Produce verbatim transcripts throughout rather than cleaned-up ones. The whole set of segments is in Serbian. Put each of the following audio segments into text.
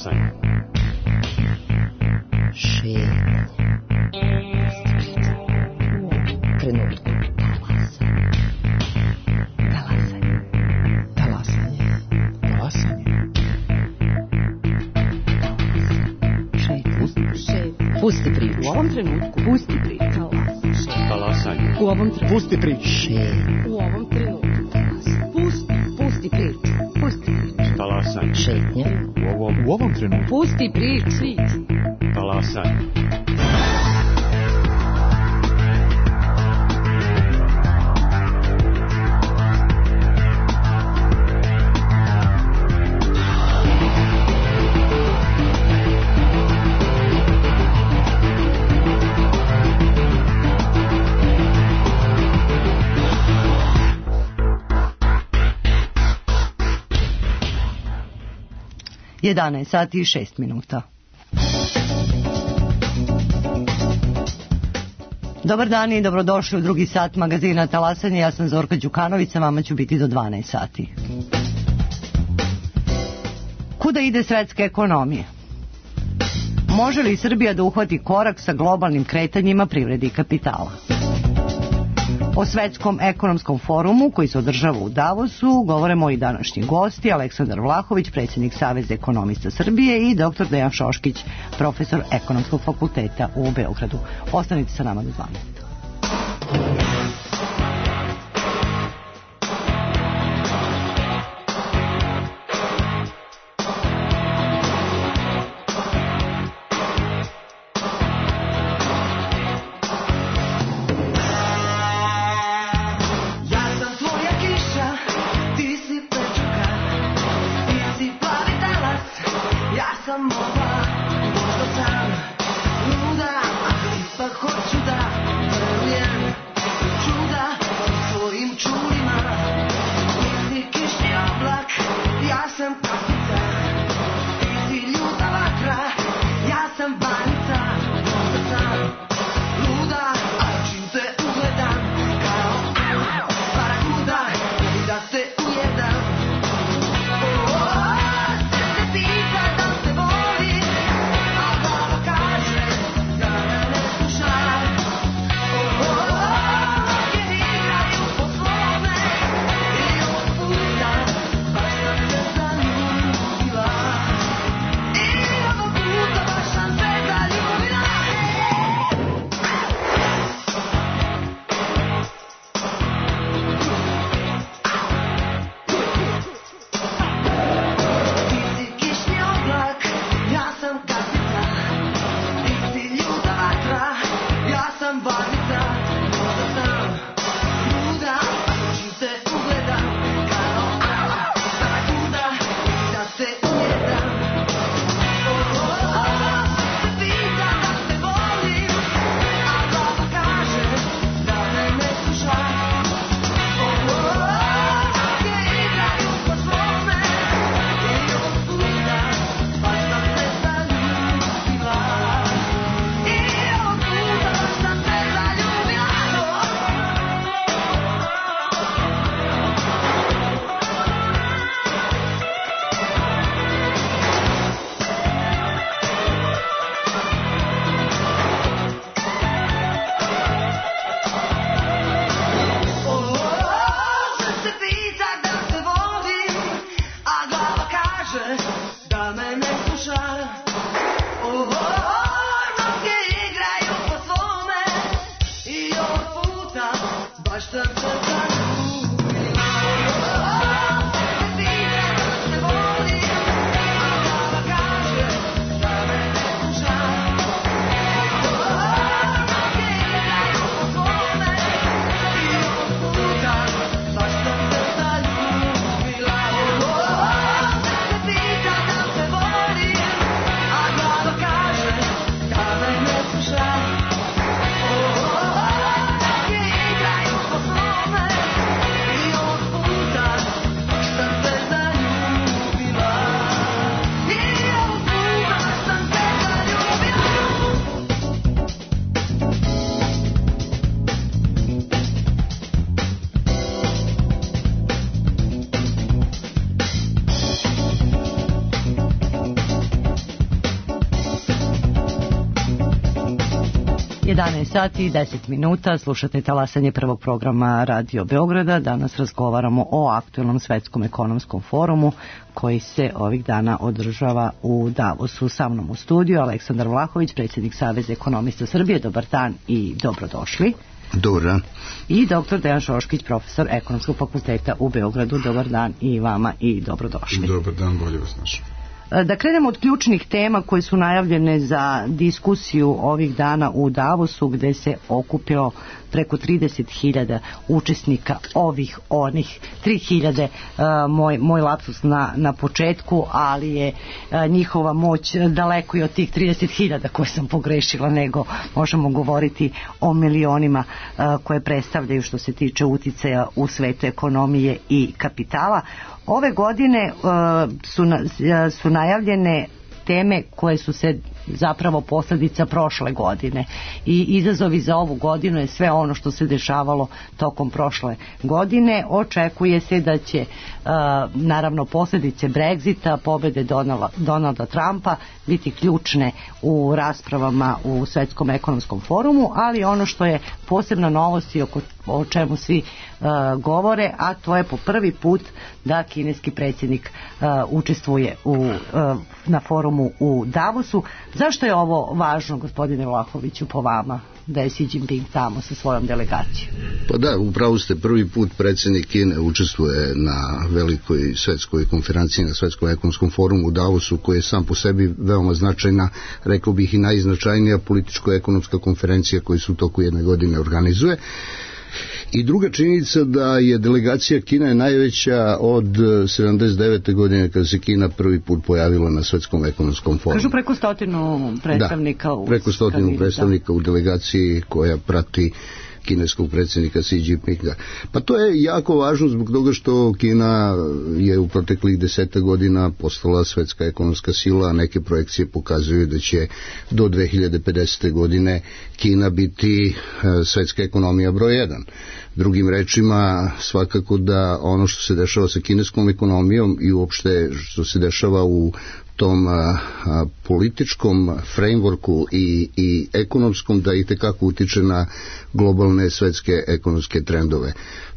Talasanje. Šetnje. Trenutku. Talasanje. Talasanje. Talasanje. Šetnje. Šetnje. Pusti priču. U ovom trenutku. Pusti priču. Talasanje. U ovom trenutku. Pusti priču. Šetnje. U ovom trenutku. Pusti, pusti priču. Pusti priču. Talasanje. Šetnje. U ovom, u ovom trenutku. Pusti priču. Svici. Talasanje. jedanaest sati i šest minuta. Dobar dan i dobrodošli u drugi sat magazina Talasanje. Ja sam Zorka Đukanović, sa vama ću biti do dvanaest sati. Kuda ide svetska ekonomija? Može li Srbija da uhvati korak sa globalnim kretanjima privrede i kapitala? O svetskom ekonomskom forumu koji se održava u Davosu govore moji današnji gosti, Aleksandar Vlahović, predsjednik Saveza ekonomista Srbije, i doktor Dejan Šoškić, profesor Ekonomskog fakulteta u Beogradu. Ostanite sa nama do dvanaest. Oh, jedanaest sati i deset minuta, slušate talasanje prvog programa Radio Beograda. Danas razgovaramo o aktuelnom svetskom ekonomskom forumu koji se ovih dana održava u Davosu. Sa mnom u studiju Aleksandar Vlahović, predsjednik Saveza ekonomista Srbije. Dobar dan i dobrodošli. Dobar dan. I doktor Dejan Šoškić, profesor Ekonomskog fakulteta u Beogradu. Dobar dan i vama i dobrodošli. Dobar dan, bolje vas našao. Da krenemo od ključnih tema koje su najavljene za diskusiju ovih dana u Davosu, gde se okupilo preko trideset hiljada učesnika ovih, onih, tri hiljade, uh, moj, moj lapsus na, na početku, ali je uh, njihova moć daleko i od tih trideset hiljada koje sam pogrešila, nego možemo govoriti o milionima uh, koje predstavljaju što se tiče uticaja u svetu ekonomije i kapitala. Ove godine uh, su, na, su najavljene teme koje su se zapravo posljedica prošle godine i izazovi za ovu godinu je sve ono što se dešavalo tokom prošle godine. Očekuje se da će uh, naravno posljedice Brexita, pobjede Donalda, Donalda Trumpa biti ključne u raspravama u Svetskom ekonomskom forumu, ali ono što je posebna novost i oko, o čemu svi uh, govore, a to je po prvi put da kineski predsjednik uh, učestvuje u, uh, na forumu u Davosu. Zašto je ovo važno, gospodine Vlahoviću, po vama, da je Xi Jinping tamo sa svojom delegacijom? Pa da, upravo ste, prvi put predsjednik Kine učestvuje na velikoj svetskoj konferenciji, na Svetskom ekonomskom forumu u Davosu, koji je sam po sebi veoma značajna, rekao bih i najznačajnija političko-ekonomska konferencija koja se u toku jedne godine organizuje. I druga činjenica da je delegacija Kine najveća od sedamdeset devete godine kada se Kina prvi put pojavila na Svetskom ekonomskom forumu. Kažu preko stotinu predstavnika. Da, preko stotinu u predstavnika u delegaciji koja prati kineskog predsjednika Xi Jinpinga. Pa to je jako važno zbog toga što Kina je u proteklih deseta godina postala svetska ekonomska sila, a neke projekcije pokazuju da će do dve hiljade pedesete godine Kina biti svetska ekonomija broj jedan. Drugim rečima, svakako da ono što se dešava sa kineskom ekonomijom i uopšte što se dešava u tom a, a, političkom frameworku i, i ekonomskom, da i tekako utiče na globalne svetske ekonomske trendove.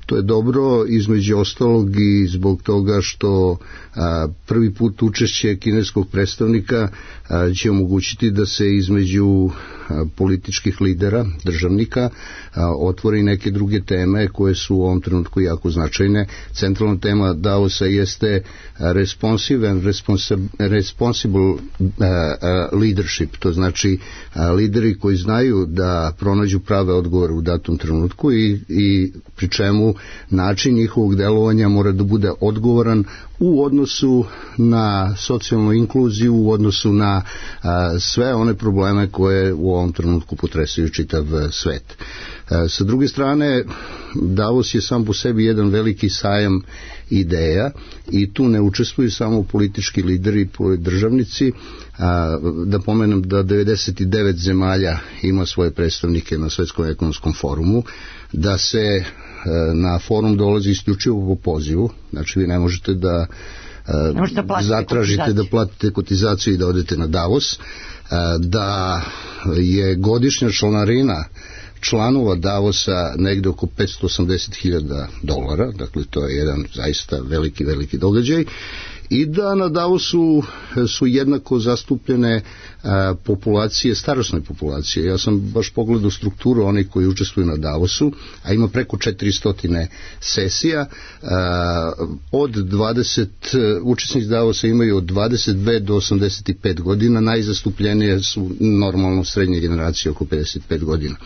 To je dobro između ostalog i zbog toga što a, prvi put učešće kineskog predstavnika a, će omogućiti da se između a, političkih lidera, državnika, a, otvori neke druge teme koje su u ovom trenutku jako značajne. Centralna tema Davosa jeste responsive and responsible a, a, leadership, to znači a, lideri koji znaju da pronađu prave odgovore u datom trenutku i, i pri čemu način njihovog delovanja mora da bude odgovoran u odnosu na socijalnu inkluziju, u odnosu na a, sve one probleme koje u ovom trenutku potresaju čitav svet. A, sa druge strane, Davos je sam po sebi jedan veliki sajam ideja i tu ne učestvuju samo politički lideri i državnici. A, da pomenem da devedeset devet zemalja ima svoje predstavnike na Svetskom ekonomskom forumu, da se na forum dolazi isključivo po pozivu, znači vi ne možete da ne možete da zatražite da platite kotizaciju i da odete na Davos, da je godišnja članarina članova Davosa negde oko petsto osamdeset hiljada dolara, dakle to je jedan zaista veliki, veliki događaj, i da na Davosu su jednako zastupljene a, populacije, starosne populacije. Ja sam baš pogledao strukturu onih koji učestvuju na Davosu, a ima preko četiristo sesija. A, od dvadeset učesnici Davosa imaju od dvadeset dve do osamdeset pet godina, najzastupljenije su normalno srednje generacije oko pedeset pet godina.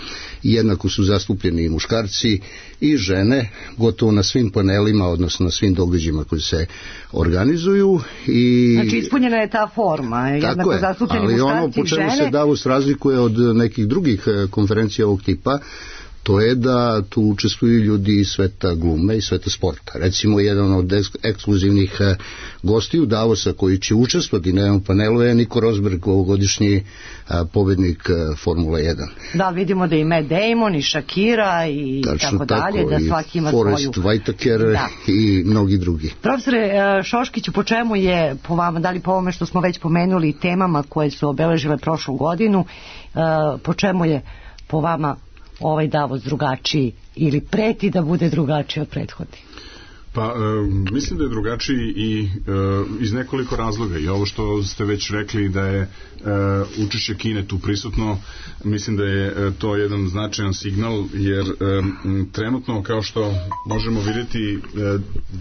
I jednako su zastupljeni i muškarci i žene, gotovo na svim panelima, odnosno na svim događajima koji se organizuju. I znači ispunjena je ta forma, jednako zastupljeni muškarci i žene. Ali ono po čemu se Davos razlikuje od nekih drugih konferencija ovog tipa, to je da tu učestvuju ljudi iz sveta glume i sveta sporta. Recimo, jedan od ekskluzivnih gostiju Davosa koji će učestvovati na jednom panelu je Nico Rosberg, ovogodišnji pobednik Formule jedan. Da, vidimo da i Matt Damon i Shakira i Tačno tako dalje, tako, da svaki ima Forrest svoju. Whitaker da. I mnogi drugi. Profesore Šoškiću, po čemu je, po vama, da li po ovome što smo već pomenuli temama koje su obeležile prošlu godinu, po čemu je po vama ovaj Davos drugačiji ili preti da bude drugačiji od prethodnih? Pa, e, mislim da je drugačiji i e, iz nekoliko razloga i ovo što ste već rekli da je e, učešće Kine tu prisutno, mislim da je e, to jedan značajan signal jer e, trenutno kao što možemo vidjeti e,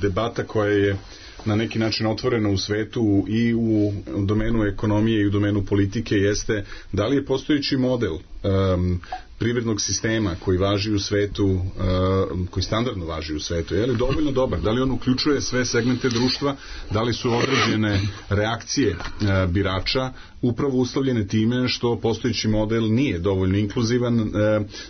debata koja je na neki način otvorena u svetu i u domenu ekonomije i u domenu politike jeste da li je postojeći model um, privrednog sistema koji važi u svetu, uh, koji standardno važi u svetu, je li dovoljno dobar? Da li on uključuje sve segmente društva? Da li su određene reakcije uh, birača upravo uslovljene time što postojeći model nije dovoljno inkluzivan, uh,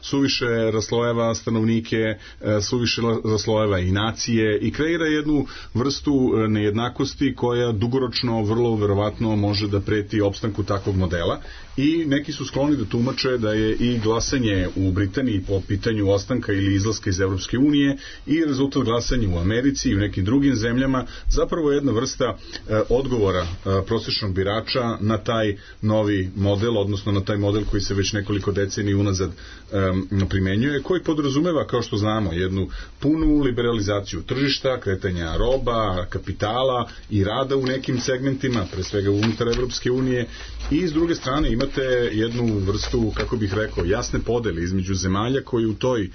suviše raslojeva stanovnike, uh, suviše raslojeva i nacije i kreira jednu vrstu uh, nejednakosti koja dugoročno vrlo verovatno može da preti opstanku takvog modela i neki su skloni da tumače da je i glasanje u Britaniji po pitanju ostanka ili izlaska iz Evropske unije i rezultat glasanja u Americi i u nekim drugim zemljama zapravo jedna vrsta e, odgovora e, prosječnog birača na taj novi model, odnosno na taj model koji se već nekoliko decenija unazad e, primenjuje, koji podrazumeva, kao što znamo, jednu punu liberalizaciju tržišta, kretanja roba, kapitala i rada u nekim segmentima, pre svega unutar Evropske unije i s druge strane imate jednu vrstu, kako bih rekao, jasne podele između zemalja koji u toj e,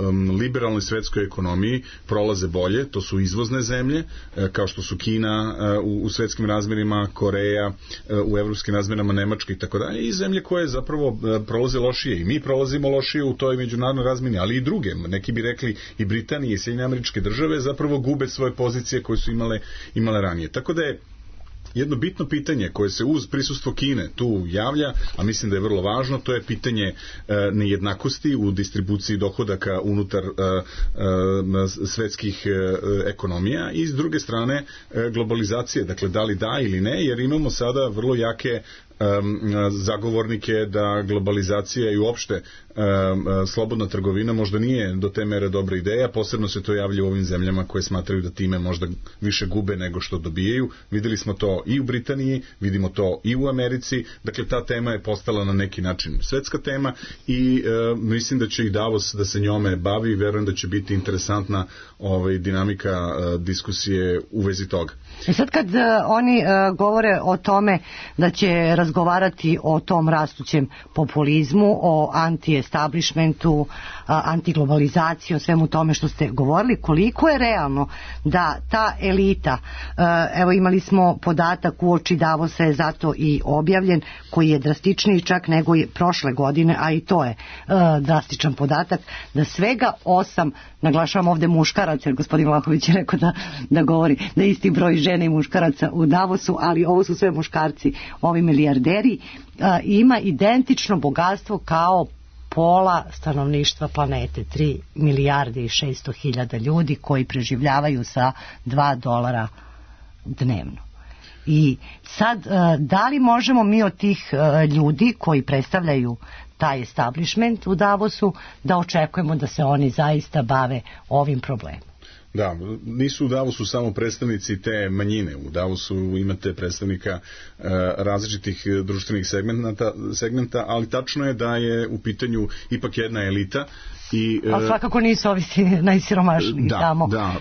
um, liberalnoj svetskoj ekonomiji prolaze bolje, to su izvozne zemlje, e, kao što su Kina e, u, u svetskim razmerima, Koreja e, u evropskim razmerama, Nemačka i tako dalje, i zemlje koje zapravo e, prolaze lošije i mi prolazimo lošije u toj međunarodnoj razmeni, ali i druge, neki bi rekli i Britanije i Sjedinjene Američke Države zapravo gube svoje pozicije koje su imale, imale ranije. Tako da je jedno bitno pitanje koje se uz prisustvo Kine tu javlja, a mislim da je vrlo važno, to je pitanje e, nejednakosti u distribuciji dohodaka unutar e, e, svetskih e, ekonomija i s druge strane e, globalizacije, dakle da li da ili ne, jer imamo sada vrlo jake zagovornike da globalizacija i uopšte slobodna trgovina možda nije do te mere dobra ideja, posebno se to javlja u ovim zemljama koje smatraju da time možda više gube nego što dobijaju. Videli smo to i u Britaniji, vidimo to i u Americi, dakle ta tema je postala na neki način svetska tema i e, mislim da će i Davos da se njome bavi i verujem da će biti interesantna ovaj, dinamika e, diskusije u vezi toga. I sad kad uh, oni uh, govore o tome da će razgovarati o tom rastućem populizmu, o anti-establishmentu, uh, antiglobalizaciji, o svemu tome što ste govorili, koliko je realno da ta elita, uh, evo imali smo podatak uoči Davosa je zato i objavljen, koji je drastičniji čak nego je prošle godine, a i to je uh, drastičan podatak, da svega osam, naglašavam ovde muškaraca, jer gospodin Vlahović je rekao da, da govori da isti broj žene i muškaraca u Davosu, ali ovo su sve muškarci, ovi milijarderi, a, ima identično bogatstvo kao pola stanovništva planete, tri milijarde i šesto hiljada ljudi koji preživljavaju sa dva dolara dnevno. I sad, a, da li možemo mi od tih a, ljudi koji predstavljaju taj establishment u Davosu da očekujemo da se oni zaista bave ovim problemom? Da, nisu u Davosu samo predstavnici te manjine. U Davosu imate predstavnika e, različitih društvenih segmenta, segmenta, ali tačno je da je u pitanju ipak jedna elita. I, a svakako nisu ovi najsiromašniji da, tamo. Da,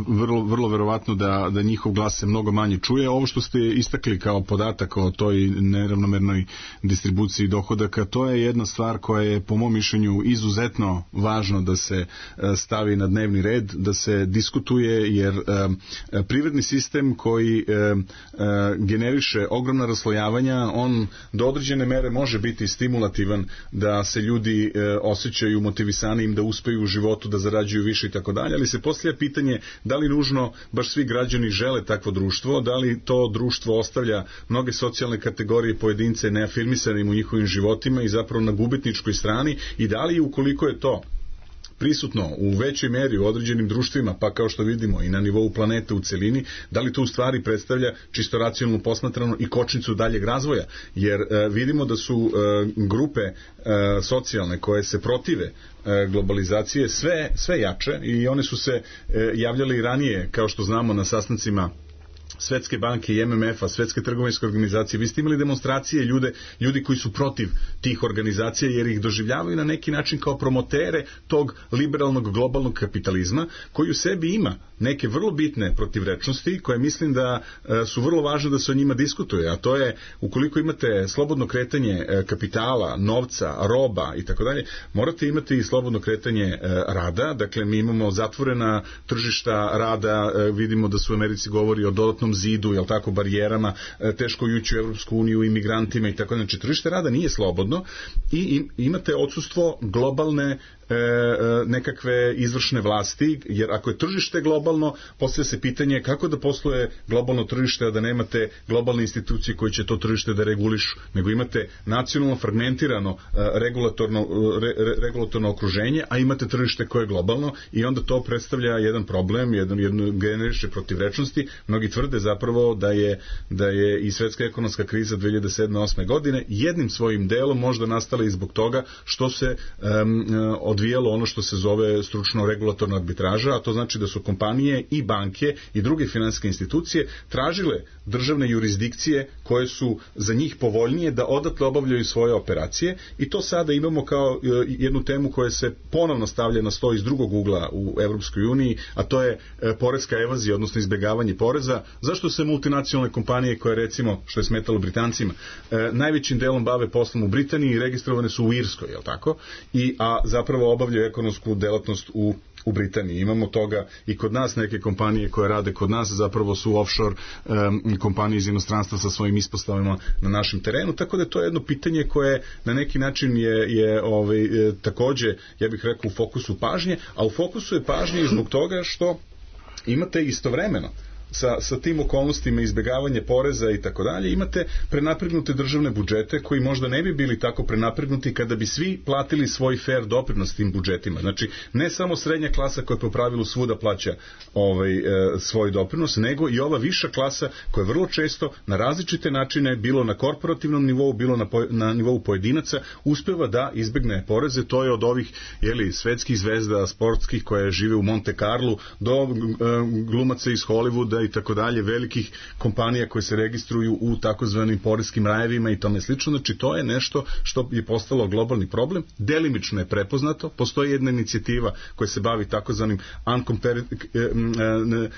vrlo, vrlo verovatno da, da njihov glas se mnogo manje čuje. Ovo što ste istakli kao podatak o toj neravnomernoj distribuciji dohodaka, to je jedna stvar koja je po mom mišljenju izuzetno važno da se stavi na dnevni red, da se diskutuje, jer privredni sistem koji generiše ogromna raslojavanja, on do određene mere može biti stimulativan da se ljudi osjećaju motivisani im da uspeju u životu, da zarađuju više i tako dalje, ali se postavlja pitanje da li nužno baš svi građani žele takvo društvo, da li to društvo ostavlja mnoge socijalne kategorije pojedince neafirmisanim u njihovim životima i zapravo na gubitničkoj strani i da li ukoliko je to prisutno u većoj meri u određenim društvima, pa kao što vidimo i na nivou planete u celini, da li to u stvari predstavlja čisto racionalno posmatrano i kočnicu daljeg razvoja, jer e, vidimo da su e, grupe e, socijalne koje se protive e, globalizacije sve, sve jače i one su se e, javljale i ranije, kao što znamo, na sastancima Svetske banke i M M F-a, Svetske trgovinske organizacije, vi ste imali demonstracije ljude, ljudi koji su protiv tih organizacija jer ih doživljavaju na neki način kao promotere tog liberalnog globalnog kapitalizma koji u sebi ima neke vrlo bitne protivrečnosti koje mislim da e, su vrlo važne da se o njima diskutuje, a to je ukoliko imate slobodno kretanje e, kapitala, novca, roba i tako dalje, morate imati i slobodno kretanje e, rada, dakle mi imamo zatvorena tržišta rada, e, vidimo da su u Americi govori o dodatnom zidu, jel tako, barijerama, e, teško ući u Evropsku uniju, imigrantima i tako dalje, znači tržište rada nije slobodno i imate odsustvo globalne E, nekakve izvršne vlasti, jer ako je tržište globalno, postavlja se pitanje kako da posluje globalno tržište, a da nemate globalne institucije koje će to tržište da regulišu, nego imate nacionalno fragmentirano regulatorno, re, regulatorno okruženje, a imate tržište koje je globalno i onda to predstavlja jedan problem, jedan, jednu generiše protivrečnosti. Mnogi tvrde zapravo da je, da je i svetska ekonomska kriza dve hiljade sedme osme godine jednim svojim delom možda nastala i zbog toga što se um, odvijalo ono što se zove stručno regulatorna arbitraža, a to znači da su kompanije i banke i druge finansijske institucije tražile državne jurisdikcije koje su za njih povoljnije da odatle obavljaju svoje operacije i to sada imamo kao jednu temu koja se ponovno stavlja na sto iz drugog ugla u Evropskoj uniji, a to je poreska evazija, odnosno izbjegavanje poreza. Zašto se multinacionalne kompanije koje recimo, što je smetalo Britancima, najvećim delom bave poslom u Britaniji i registrovane su u Irskoj, je li tako? I, a zapravo obavljaju ekonomsku delatnost u u Britaniji. Imamo toga i kod nas neke kompanije koje rade kod nas zapravo su offshore um, kompanije iz inostranstva sa svojim ispostavama na našem terenu, tako da je to jedno pitanje koje na neki način je, je ovaj, e, takođe, ja bih rekao, u fokusu pažnje, a u fokusu je pažnje i zbog toga što imate istovremeno sa, sa tim okolnostima izbjegavanje poreza i tako dalje, imate prenapregnute državne budžete koji možda ne bi bili tako prenapregnuti kada bi svi platili svoj fair doprinos tim budžetima. Znači, ne samo srednja klasa koja po pravilu svuda plaća ovaj, e, svoj doprinos, nego i ova viša klasa koja vrlo često na različite načine, bilo na korporativnom nivou, bilo na, po, na nivou pojedinaca, uspeva da izbegne poreze. To je od ovih jeli, svetskih zvezda sportskih koje žive u Monte Carlu do e, glumaca iz Hollywooda i tako dalje, velikih kompanija koje se registruju u takozvanim poreskim rajevima i tome slično. Znači, to je nešto što je postalo globalni problem. Delimično je prepoznato. Postoji jedna inicijativa koja se bavi takozvanim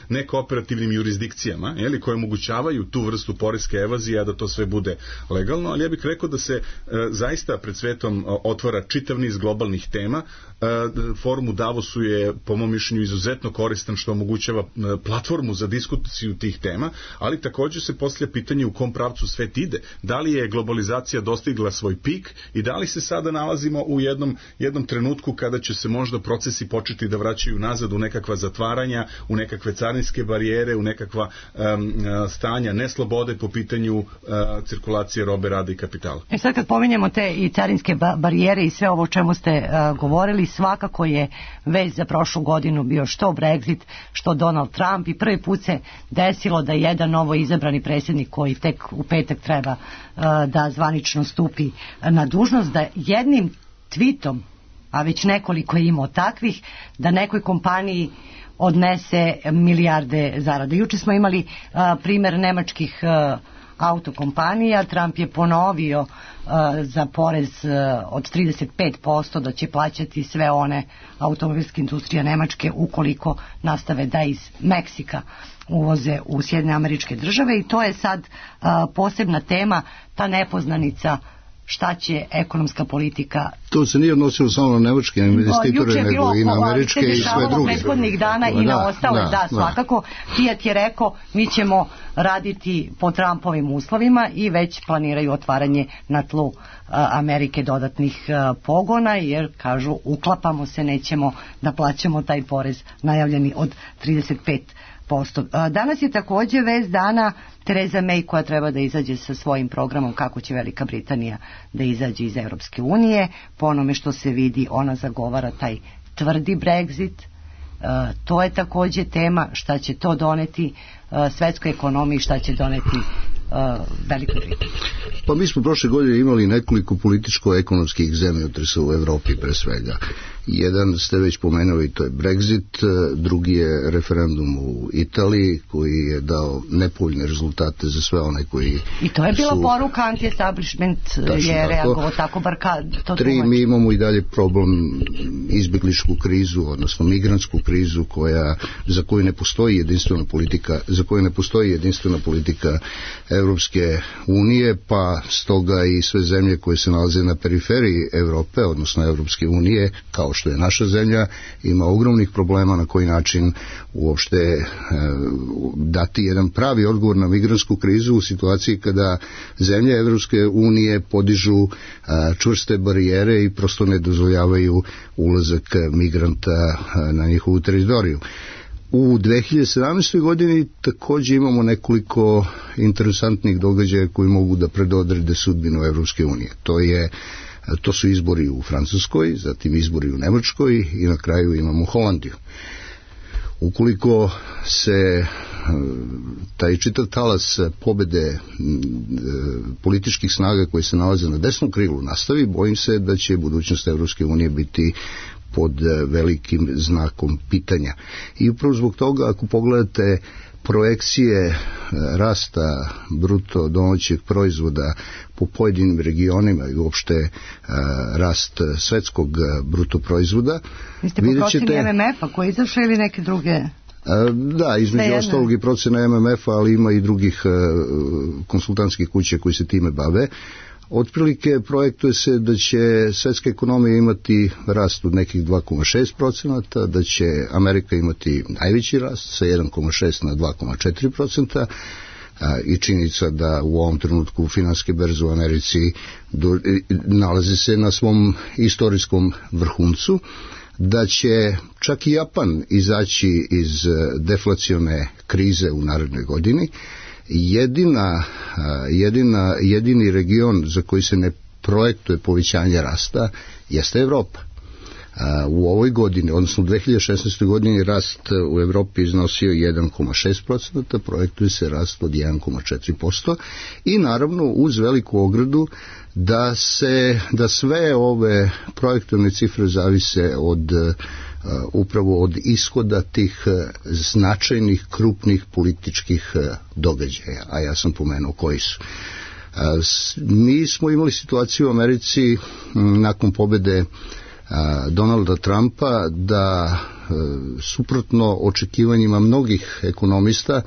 nekooperativnim jurisdikcijama, jeli, koje omogućavaju tu vrstu poreske evazije, a da to sve bude legalno, ali ja bih rekao da se e, zaista pred svetom otvara čitav niz globalnih tema. E, forum u Davosu je, po mom mišljenju, izuzetno koristan što omogućava platformu za diskusiju tih tema, ali također se postavlja pitanje u kom pravcu svet ide. Da li je globalizacija dostigla svoj pik i da li se sada nalazimo u jednom, jednom trenutku kada će se možda procesi početi da vraćaju nazad u nekakva zatvaranja, u nekakve carinske barijere, u nekakva um, stanja neslobode po pitanju uh, cirkulacije robe, rada i kapitala. E sad kad pominjemo te i carinske ba- barijere i sve ovo o čemu ste uh, govorili, svakako je već za prošlu godinu bio što Brexit, što Donald Trump, i prvi put se desilo da jedan novo izabrani predsjednik koji tek u petak treba uh, da zvanično stupi na dužnost, da jednim tweetom, a već nekoliko je imao takvih, da nekoj kompaniji odnese milijarde zarade. Juče smo imali uh, primjer nemačkih uh, autokompanija. Trump je ponovio uh, za porez uh, od trideset pet posto da će plaćati sve one automobilske industrije Nemačke ukoliko nastave da iz Meksika uvoze u Sjedinjene Američke Države, i to je sad uh, posebna tema, ta nepoznanica šta će ekonomska politika. To se nije odnosilo samo na nemačke investitore, nego i na američke i sve druge. Prethodnih dana i na ostale, da, da, svakako. Fiat je rekao, mi ćemo raditi po Trumpovim uslovima i već planiraju otvaranje na tlu a, Amerike dodatnih a, pogona, jer kažu, uklapamo se, nećemo da plaćamo taj porez najavljeni od trideset pet posto. Danas je također vez dana Theresa May, koja treba da izađe sa svojim programom kako će Velika Britanija da izađe iz Europske unije. Po onome što se vidi, ona zagovara taj tvrdi Brexit. Uh, to je također tema šta će to doneti uh, svetskoj ekonomiji, šta će doneti uh, Velikoj Britaniji. Pa mi smo prošle godine imali nekoliko političko-ekonomskih zemljotresa u Evropi pre svega. Jedan ste već pomenuli, to je Brexit, drugi je referendum u Italiji koji je dao nepovoljne rezultate za sve one koji I to je bila su... poruka, anti-establishment je reagovao tako, bar kad to Tri, tumači. mi imamo i dalje problem izbjegličku krizu, odnosno migrantsku krizu koja, za koju ne postoji jedinstvena politika, za koju ne postoji jedinstvena politika Evropske unije, pa stoga i sve zemlje koje se nalaze na periferiji Evrope, odnosno Evropske unije, kao što je naša zemlja, ima ogromnih problema na koji način uopšte e, dati jedan pravi odgovor na migrantsku krizu u situaciji kada zemlje Evropske unije podižu e, čvrste barijere i prosto ne dozvoljavaju ulazak migranta e, na njihovu teritoriju. U dve hiljade sedamnaestoj. godini također imamo nekoliko interesantnih događaja koji mogu da predodrede sudbinu Evropske unije. To je To su izbori u Francuskoj, zatim izbori u Nemačkoj i na kraju imamo Holandiju. Ukoliko se taj čitav talas pobede političkih snaga koji se nalaze na desnom krilu nastavi, bojim se da će budućnost Evropske unije biti pod velikim znakom pitanja. I upravo zbog toga, ako pogledate projekcije rasta bruto domaćeg proizvoda po pojedinim regionima i uopšte rast svetskog bruto proizvoda. Vi ste po proceni M M F-a koji izašao ili neke druge? Da, između ostalog i procena M M F-a, ali ima i drugih konsultantskih kuća koji se time bave. Otprilike projektuje se da će svetska ekonomija imati rast od nekih dva zarez šest procenta, da će Amerika imati najveći rast sa jedan zarez šest na dva zarez četiri procenta i činjenica da u ovom trenutku finansijske berze u Americi do, nalazi se na svom istorijskom vrhuncu, da će čak i Japan izaći iz deflacione krize u narednoj godini. Jedina, jedina, jedini region za koji se ne projektuje povećanje rasta jeste Evropa. U ovoj godini, odnosno u dve hiljade šesnaestoj. godini rast u Evropi iznosio jedan zarez šest procenta, projektuje se rast od jedan zarez četiri posto i naravno uz veliku ogradu da se da sve ove projektovne cifre zavise od Uh, upravo od ishoda tih uh, značajnih, krupnih političkih uh, događaja, a ja sam pomenuo koji su. Uh, s, mi smo imali situaciju u Americi m, nakon pobede uh, Donalda Trumpa da uh, suprotno očekivanjima mnogih ekonomista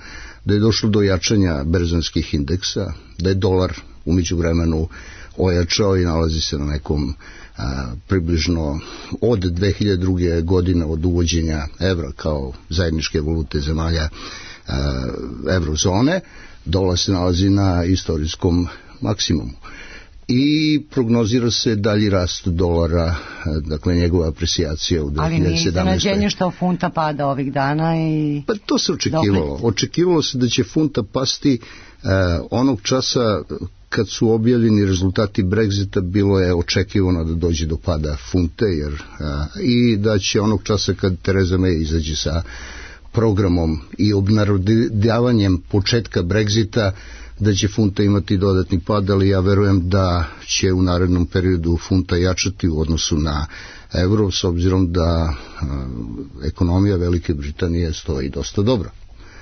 da je došlo do jačanja berzanskih indeksa, da je dolar u međuvremenu ojačao i nalazi se na nekom a, približno od dve hiljade druge. godine od uvođenja evra kao zajedničke valute zemalja a, evrozone, dolar se nalazi na istorijskom maksimumu. I prognozira se dalji rast dolara, dakle njegova aprecijacija u dve hiljade sedamnaestoj. Ali nije iznenađenje što funta pada ovih dana i... Pa to se očekivalo. Očekivalo se da će funta pasti uh, onog časa kad su objavljeni rezultati Brexita, bilo je očekivano da dođe do pada funte, jer a, i da će onog časa kad Theresa May izađe sa programom i obnarodavanjem početka Brexita, da će funta imati dodatni pad, ali ja verujem da će u narednom periodu funta jačati u odnosu na euro, s obzirom da a, ekonomija Velike Britanije stoji dosta dobro.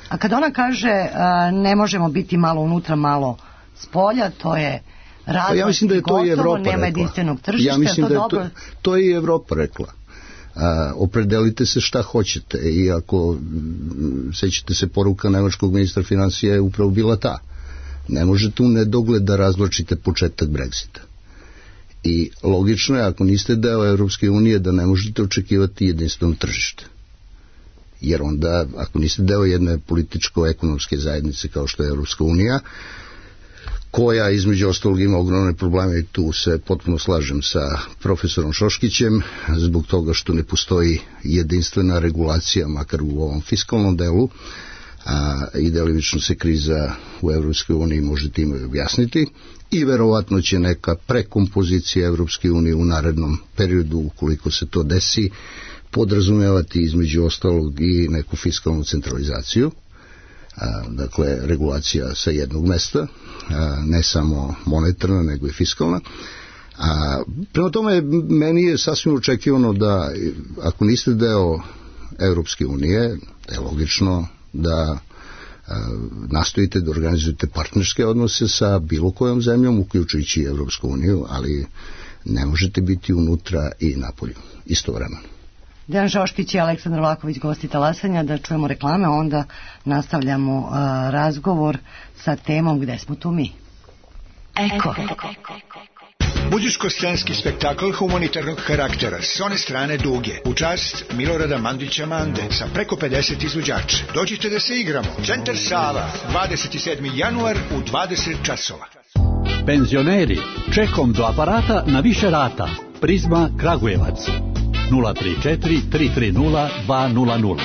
A kad ona kaže a, ne možemo biti malo unutra, malo s polja, to je razlog, pa ja mislim da je to gotovo, i Evropa nema rekla. jedinstvenog tržišta. Ja mislim to da je dobro... to, to je i Evropa rekla. A, opredelite se šta hoćete i ako m, sećate se poruka nemačkog ministra financija je upravo bila ta. Ne možete u nedogled da razvlačite početak Brexita. I logično je, ako niste deo Evropske unije, da ne možete očekivati jedinstveno tržište. Jer onda, ako niste deo jedne političko-ekonomske zajednice kao što je Evropska unija, koja između ostalog ima ogromne probleme, i tu se potpuno slažem sa profesorom Šoškićem, zbog toga što ne postoji jedinstvena regulacija, makar u ovom fiskalnom delu, a i delimično se kriza u Evropskoj uniji može time objasniti, i verovatno će neka prekompozicija Evropske unije u narednom periodu, ukoliko se to desi, podrazumevati između ostalog i neku fiskalnu centralizaciju, a, dakle regulacija sa jednog mesta, a, ne samo monetarna nego i fiskalna. A, prema tome, meni je sasvim očekivano da, ako niste deo Evropske unije, je logično da nastojite da organizujete partnerske odnose sa bilo kojom zemljom, uključujući Evropsku uniju, ali ne možete biti unutra i napolju istovremeno. Dejan Šoškić i Aleksandar Vlahović, gosti Talasanja. Da čujemo reklame, onda nastavljamo uh, razgovor sa temom Gde smo tu mi. Eko. Budiško-scenski spektakl humanitarnog karaktera s one strane Duge u čast Milorada Mandića Mande sa preko pedeset izvođača. Dođite da se igramo. Centar Sava, dvadeset sedmi januar u dvadeset časova. Penzioneri, čekom do aparata na više rata. Prizma Kragujevac nula tri četiri tri tri nula dva nula nula.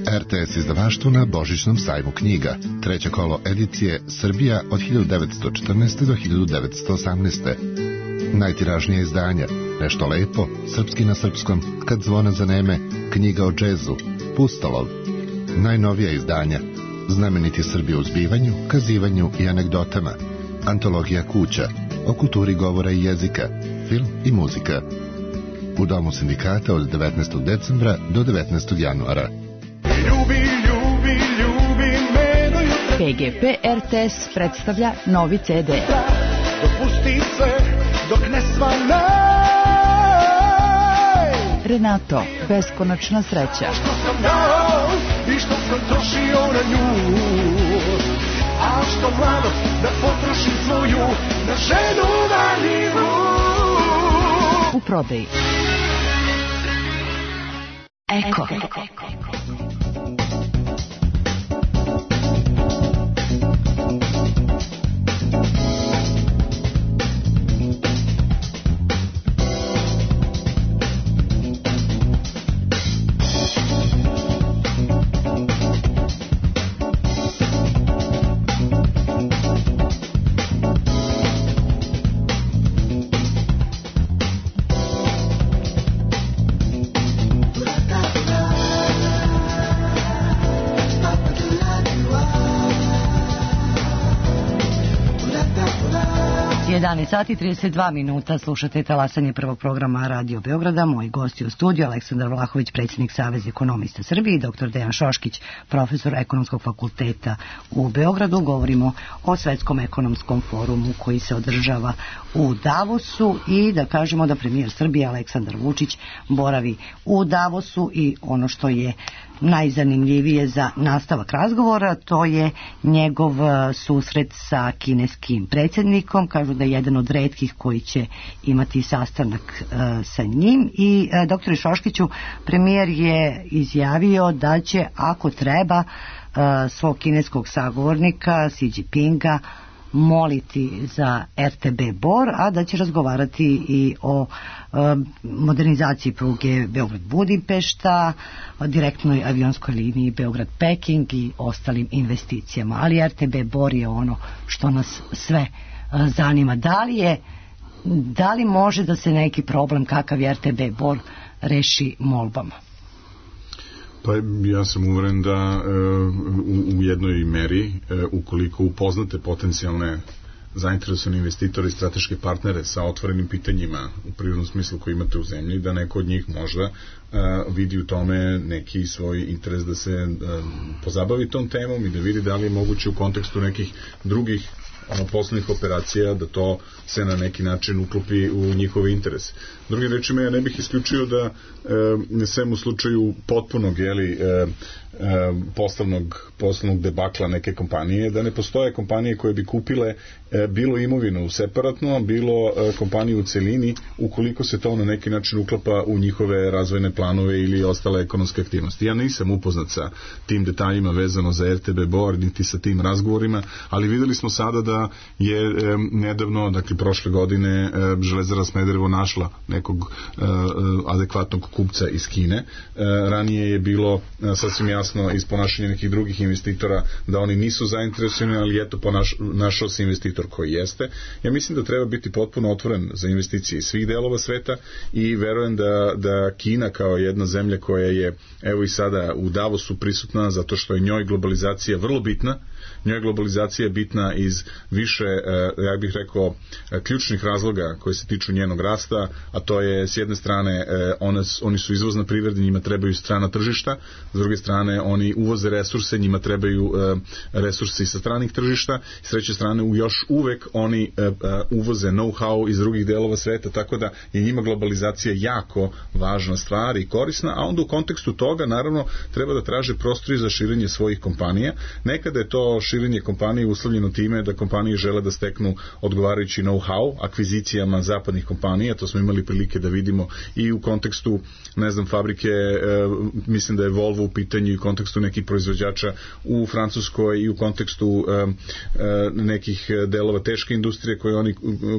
R T S izdavaštvo na Božićnom sajmu knjiga. Treće kolo edicije Srbija od hiljadu devetsto četrnaeste. do hiljadu devetsto osamnaeste. Najtiražnije izdanja Nešto lepo, Srpski na srpskom, Kad zvona zaneme, Knjiga o džezu, Pustolov. Najnovija izdanja Znameniti Srbi u zbivanju, kazivanju i anegdotama, Antologija kuća, o kulturi govora i jezika, film i muzika. U Domu sindikata od devetnaestog decembra do devetnaestog januara. Ljubi, ljubi, ljubi me do jutra. P G P R T S predstavlja novi C D. Dopusti se dok ne svane. Renato, beskonačna sreća. Što sam dao i što sam trošio na nju. A što mladost da potrošim svoju na ženu valjivu. U prodaji. Eko. jedanaest sati trideset dva minuta, slušate Talasanje prvog programa Radio Beograda. Moji gosti u studiju, Aleksandar Vlahović, predsjednik Saveza ekonomista Srbije, i doktor Dejan Šoškić, profesor Ekonomskog fakulteta u Beogradu. Govorimo o Svetskom ekonomskom forumu koji se održava u Davosu i da kažemo da premijer Srbije Aleksandar Vučić boravi u Davosu i ono što je najzanimljivije za nastavak razgovora, to je njegov susret sa kineskim predsjednikom. Kažu da je jedan od retkih koji će imati sastanak uh, sa njim. I uh, doktore Šoškiću, premijer je izjavio da će, ako treba, uh, svog kineskog sagovornika Xi Jinpinga moliti za R T B Bor, a da će razgovarati i o e, modernizaciji pruge Beograd-Budimpešta, o direktnoj avionskoj liniji Beograd-Peking i ostalim investicijama. Ali R T B Bor je ono što nas sve e, zanima. Da li je, da li može da se neki problem kakav je R T B Bor reši molbama? Pa ja sam uveren da e, u, u jednoj meri, e, ukoliko upoznate potencijalne zainteresovane investitore i strateške partnere sa otvorenim pitanjima u prirodnom smislu koji imate u zemlji, da neko od njih možda e, vidi u tome neki svoj interes da se e, pozabavi tom temom i da vidi da li je moguće u kontekstu nekih drugih ono, poslovnih operacija da to se na neki način uklopi u njihove interese. Drugim rečima, ja ne bih isključio da e, sem u slučaju potpunog jeli, e, e, poslovnog, poslovnog debakla neke kompanije, da ne postoje kompanije koje bi kupile e, bilo imovinu separatno, bilo e, kompaniju u celini, ukoliko se to na neki način uklapa u njihove razvojne planove ili ostale ekonomske aktivnosti. Ja nisam upoznat sa tim detaljima vezano za R T B Bor, niti sa tim razgovorima, ali videli smo sada da je e, nedavno, dakle prošle godine, e, Železara Smederevo našla nekog e, adekvatnog kupca iz Kine. E, ranije je bilo e, sasvim jasno iz ponašanja nekih drugih investitora da oni nisu zainteresovani, ali eto ponaš, našao se investitor koji jeste. Ja mislim da treba biti potpuno otvoren za investicije iz svih delova sveta i verujem da, da Kina kao jedna zemlja koja je evo i sada u Davosu prisutna zato što je njoj globalizacija vrlo bitna. Njoj globalizacija je bitna iz više, ja bih rekao, ključnih razloga koji se tiču njenog rasta, a to je s jedne strane one, oni su izvozna privreda, njima trebaju strana tržišta, s druge strane oni uvoze resurse, njima trebaju resursi sa stranih tržišta, s treće strane u još uvek oni uvoze know-how iz drugih delova sveta, tako da je njima globalizacija jako važna stvar i korisna, a onda u kontekstu toga naravno treba da traže prostori za širenje svojih kompanija. Nekada je to širenje kompanije uslovljeno time da kompanije žele da steknu odgovarajući know-how akvizicijama zapadnih kompanija, to smo imali prilike da vidimo i u kontekstu, ne znam, fabrike, e, mislim da je Volvo u pitanju i u kontekstu nekih proizvođača u Francuskoj i u kontekstu e, e, nekih delova teške industrije koje oni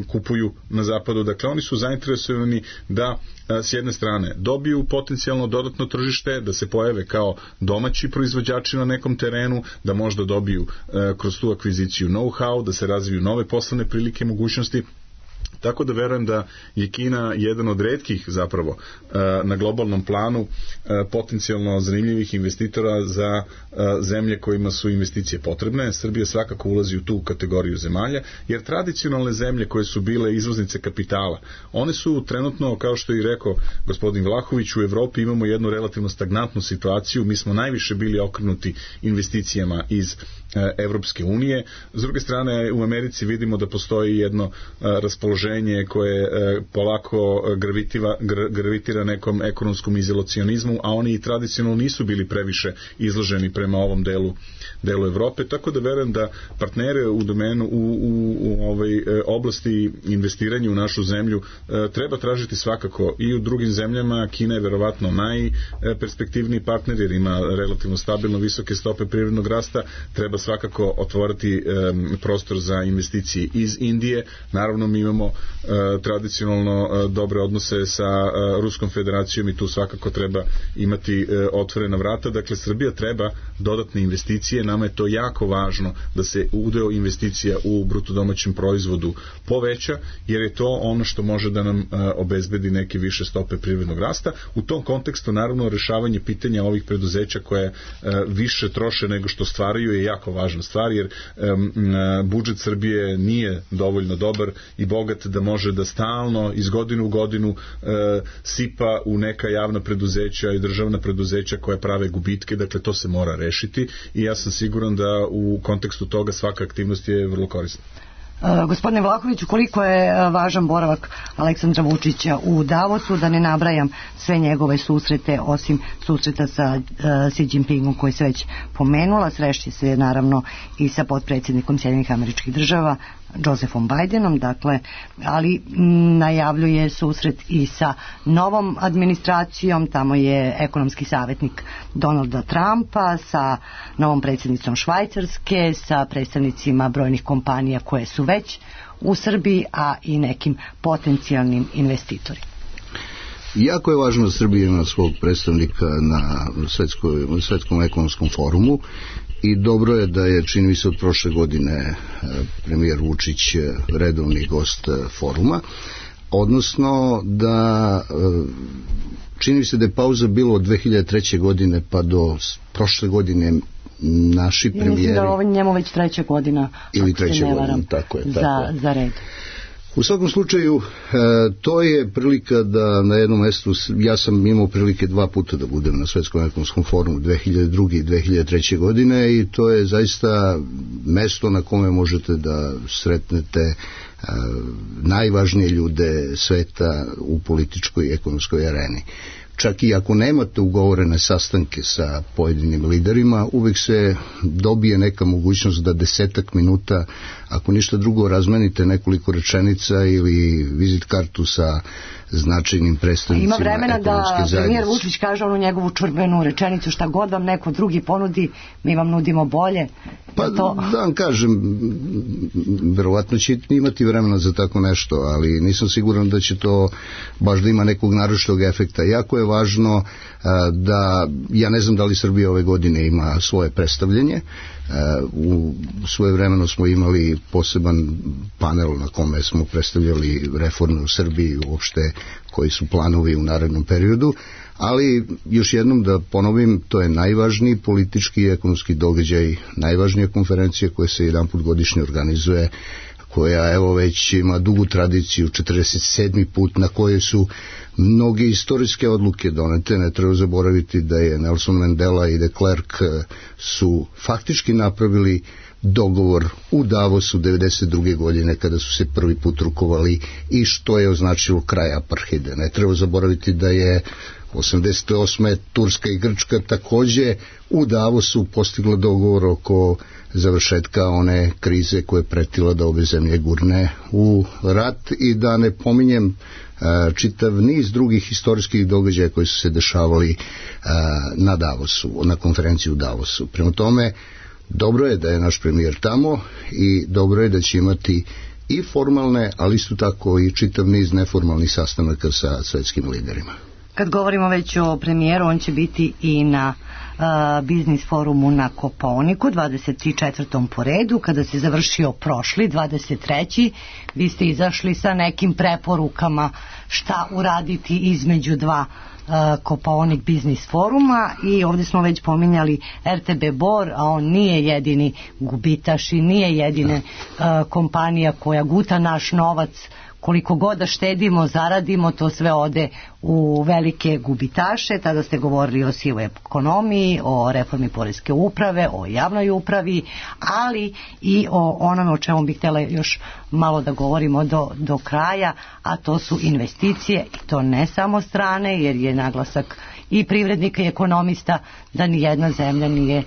kupuju na zapadu. Dakle, oni su zainteresovani da s jedne strane dobiju potencijalno dodatno tržište, da se pojave kao domaći proizvođači na nekom terenu, da možda dobiju e, kroz tu akviziciju know-how, da se razviju nove poslovne prilike i mogućnosti. Tako da verujem da je Kina jedan od retkih zapravo na globalnom planu potencijalno zanimljivih investitora za zemlje kojima su investicije potrebne. Srbija svakako ulazi u tu kategoriju zemalja, jer tradicionalne zemlje koje su bile izvoznice kapitala, one su trenutno, kao što je i rekao gospodin Vlahović, u Evropi imamo jednu relativno stagnantnu situaciju, mi smo najviše bili okrenuti investicijama iz Evropske unije. S druge strane, u Americi vidimo da postoji jedno raspoloženje koje polako gravitira, gravitira nekom ekonomskom izolacionizmu, a oni i tradicionalno nisu bili previše izloženi prema ovom delu, delu Evrope, tako da verujem da partnere u domenu, u, u, u ovoj oblasti investiranja u našu zemlju treba tražiti svakako i u drugim zemljama. Kina je verovatno najperspektivniji partner jer ima relativno stabilno visoke stope privrednog rasta, treba svakako otvoriti um, prostor za investicije iz Indije. Naravno, mi imamo uh, tradicionalno uh, dobre odnose sa uh, Ruskom federacijom i tu svakako treba imati uh, otvorena vrata. Dakle, Srbija treba dodatne investicije. Nama je to jako važno da se udeo investicija u bruto domaćem proizvodu poveća, jer je to ono što može da nam uh, obezbedi neke više stope privrednog rasta. U tom kontekstu, naravno, rešavanje pitanja ovih preduzeća koje uh, više troše nego što stvaraju je jako važna stvar, jer um, budžet Srbije nije dovoljno dobar i bogat da može da stalno iz godine u godinu uh, sipa u neka javna preduzeća i državna preduzeća koja prave gubitke. Dakle, to se mora rešiti i ja sam siguran da u kontekstu toga svaka aktivnost je vrlo korisna. Uh, gospodine Vlahoviću, koliko je uh, važan boravak Aleksandra Vučića u Davosu, da ne nabrajam sve njegove susrete, osim susreta sa uh, Xi Jinpingom koji se već pomenula, srešće se naravno i sa potpredsjednikom Sjedinjenih Američkih Država Josephom Bidenom, dakle, ali m, najavljuje susret i sa novom administracijom, tamo je ekonomski savjetnik Donalda Trumpa, sa novom predsjednicom Švajcarske, sa predstavnicima brojnih kompanija koje su već u Srbiji, a i nekim potencijalnim investitorima. Jako je važno da Srbija ima svog predstavnika na svetskoj, svetskom ekonomskom forumu i dobro je da je, čini mi se, od prošle godine premijer Vučić redovni gost foruma, odnosno da čini mi se da je pauza bilo od dve hiljade treće. godine pa do prošle godine naši premijeri... Mislim da ovo njemu već treća godina, ili treća godina, tako je, tako za, je. za red. U svakom slučaju, e, to je prilika da na jednom mestu, ja sam imao prilike dva puta da budem na Svetskom ekonomskom forumu dve hiljade druge. i dve hiljade treće. godine i to je zaista mesto na kome možete da sretnete e, najvažnije ljude sveta u političkoj i ekonomskoj areni. Čak i ako nemate ugovorene sastanke sa pojedinim liderima, uvek se dobije neka mogućnost da desetak minuta, ako ništa drugo, razmenite nekoliko rečenica ili vizit kartu sa značajnim predstavnicima ekonomske zajednice. Ima vremena da premijer Vučić kaže onu njegovu čurbenu rečenicu: šta god vam neko drugi ponudi, mi vam nudimo bolje. Pa to... da vam kažem, verovatno će imati vremena za tako nešto, ali nisam siguran da će to baš da ima nekog naročitog efekta. Jako je važno da ja ne znam da li Srbija ove godine ima svoje predstavljanje. U svoje vremeno smo imali poseban panel na kome smo predstavljali reforme u Srbiji, uopšte koji su planovi u narednom periodu, ali još jednom da ponovim, to je najvažniji politički i ekonomski događaj, najvažnija konferencija koja se jedan put godišnje organizuje, koja evo već ima dugu tradiciju, četrdeset sedmi put, na kojoj su mnoge istorijske odluke donete. Ne treba zaboraviti da je Nelson Mandela i de Klerk su faktički napravili dogovor u Davosu devedeset druge godine kada su se prvi put rukovali i što je označilo kraj apartheida. Ne treba zaboraviti da je osamdeset osme Turska i Grčka takođe u Davosu postigla dogovor oko završetka one krize koja je pretila da obe zemlje gurne u rat, i da ne pominjem čitav niz drugih istorijskih događaja koji su se dešavali na Davosu, na konferenciji u Davosu. Prema tome, dobro je da je naš premijer tamo i dobro je da će imati i formalne, ali isto tako i čitav niz neformalnih sastanaka sa svetskim liderima. Kad govorimo već o premijeru, on će biti i na uh, biznis forumu na Kopaoniku, dvadeset četvrtom po redu, kada se završio prošli, dvadeset treći Vi ste izašli sa nekim preporukama šta uraditi između dva uh, Kopaonik biznis foruma, i ovdje smo već pominjali R T B Bor, a on nije jedini gubitaš i nije jedina uh, kompanija koja guta naš novac. Koliko god da štedimo, zaradimo, to sve ode u velike gubitaše. Tada ste govorili o sivoj ekonomiji, o reformi poreske uprave, o javnoj upravi, ali i o onome o čemu bih htjela još malo da govorimo do, do kraja, a to su investicije, i to ne samo strane, jer je naglasak i privrednika i ekonomista da ni jedna zemlja nije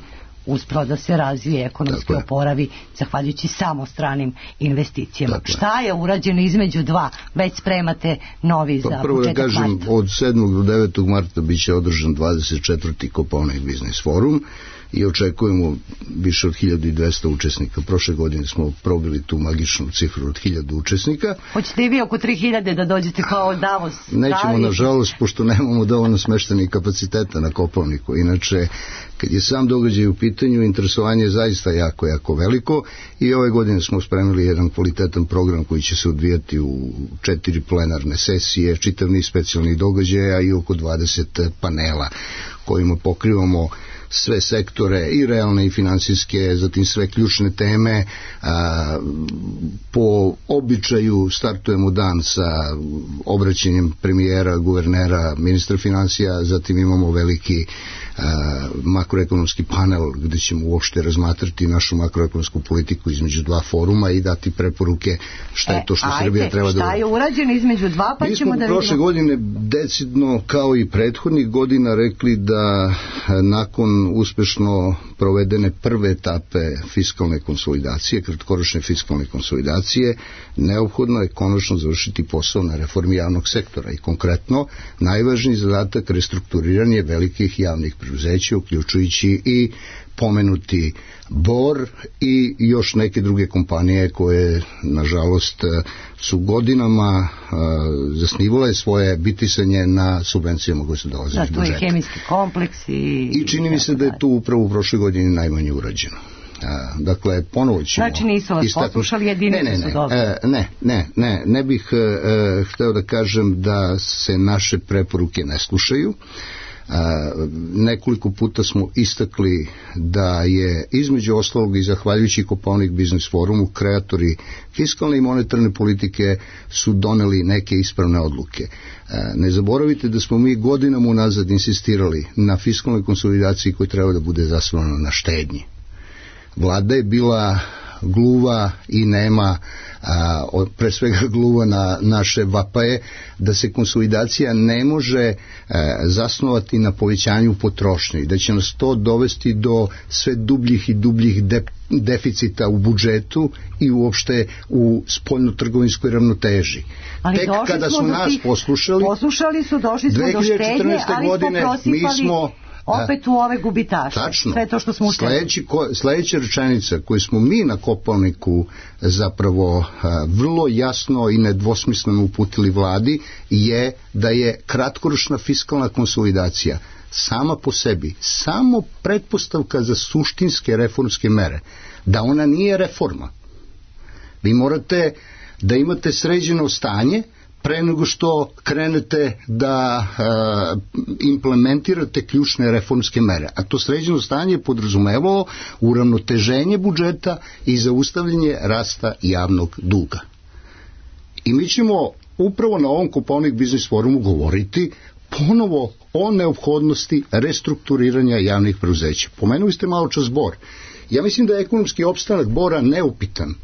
uspro da se razvije, ekonomski oporavi zahvaljujući samo stranim investicijama. Tako Šta je urađeno između dva? Već spremate novi pa za prvo početak da kažem, marta. Od sedmog do devetog marta biće održan dvadeset četvrti Kopaonik biznis forum i očekujemo više od hiljadu dvesta učesnika. Prošle godine smo probili tu magičnu cifru od hiljadu učesnika. Hoćete i vi oko tri hiljade da dođete kao Davos? Nećemo, nažalost, pošto nemamo dovoljno smeštenih kapaciteta na Kopaoniku. Inače, kad je sam događaj u pitanju, interesovanje je zaista jako, jako veliko, i ove godine smo spremili jedan kvalitetan program koji će se odvijati u četiri plenarne sesije, čitav niz specijalnih događaja i oko dvadeset panela kojima pokrivamo sve sektore, i realne i finansijske, zatim sve ključne teme. A, po običaju startujemo dan sa obraćanjem premijera, guvernera, ministra finansija, zatim imamo veliki a, makroekonomski panel gde ćemo uopšte razmatrati našu makroekonomsku politiku između dva foruma i dati preporuke šta je to što e, Srbija treba da... Šta je urađeno između dva, pa Mi ćemo da vidimo... Mi smo prošle godine decidno, kao i prethodnih godina, rekli da nakon uspešno provedene prve etape fiskalne konsolidacije, kratkoročne fiskalne konsolidacije, neophodno je konačno završiti posao na reformi javnog sektora, i konkretno najvažniji zadatak restrukturiranje velikih javnih preduzeća, uključujući i pomenuti Bor i još neke druge kompanije koje, nažalost, su godinama uh, zasnivale svoje bitisanje na subvencijama koje su dolaze iz budžeta. Da, to je hemijski kompleks i... I čini mi se da je tu upravo u prošloj godini najmanje urađeno. A, dakle, ponovo ćemo... Znači nisu vas istaknuti... poslušali, jedinice ne, ne, su dobro. Ne, ne, ne, ne, ne bih e, hteo da kažem da se naše preporuke ne slušaju. A, nekoliko puta smo istakli da je između ostalog i zahvaljujući Kopaonik biznis forumu kreatori fiskalne i monetarne politike su doneli neke ispravne odluke. A, ne zaboravite da smo mi godinama unazad insistirali na fiskalnoj konsolidaciji koja treba da bude zasnovana na štednji. Vlada je bila gluva i nema, a, pre svega gluva na naše vapaje, da se konsolidacija ne može a, zasnovati na povećanju potrošnje i da će nas to dovesti do sve dubljih i dubljih de, deficita u budžetu i uopšte u spoljno-trgovinskoj ravnoteži. Ali Tek kada su nas tih, poslušali, poslušali su, došli smo do štednje, ali godine, smo prosipali... Mi smo, opet u ove gubitaše. Tačno. Sve to što smo Sledeći, ko, sledeća rečenica koju smo mi na Kopaoniku zapravo a, vrlo jasno i nedvosmisleno uputili vladi je da je kratkoročna fiskalna konsolidacija sama po sebi samo pretpostavka za suštinske reformske mere, da ona nije reforma. Vi morate da imate sređeno stanje pre nego što krenete da uh, implementirate ključne reformske mere. A to sređeno stanje je podrazumevalo uravnoteženje budžeta i zaustavljanje rasta javnog duga. I mi ćemo upravo na ovom Kopaonik biznis forumu govoriti ponovo o neophodnosti restrukturiranja javnih preduzeća. Pomenuli ste malo čas Bor. Ja mislim da je ekonomski opstanak Bora neupitan,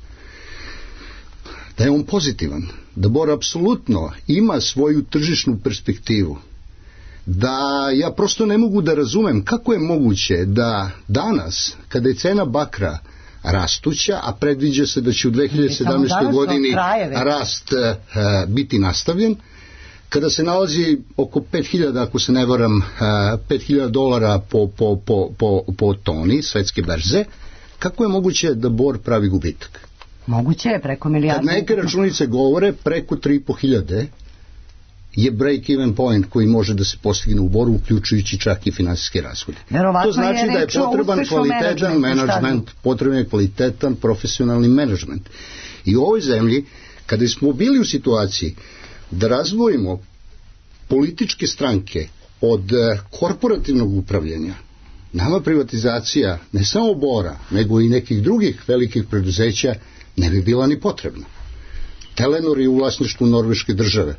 da je on pozitivan, da Bor apsolutno ima svoju tržišnu perspektivu, da ja prosto ne mogu da razumem kako je moguće da danas, kada je cena bakra rastuća, a predviđa se da će u dve hiljade sedamnaestoj godini rast uh, biti nastavljen, kada se nalazi oko pet hiljada, ako se ne varam, uh, pet hiljada dolara po, po, po, po, po toni svetske berze, kako je moguće da Bor pravi gubitak? Moguće je preko milijardu. Kad neke računice govore, preko tri i po hiljade je break-even point koji može da se postigne u Boru, uključujući čak i finansijske rashode. To znači da je potreban kvalitetan menadžment, potreban je kvalitetan profesionalni menadžment. I u ovoj zemlji, kada smo bili u situaciji da razvojimo političke stranke od korporativnog upravljanja, nama privatizacija ne samo Bora, nego i nekih drugih velikih preduzeća ne bi bila ni potrebna. Telenor je u vlasništvu norveške države.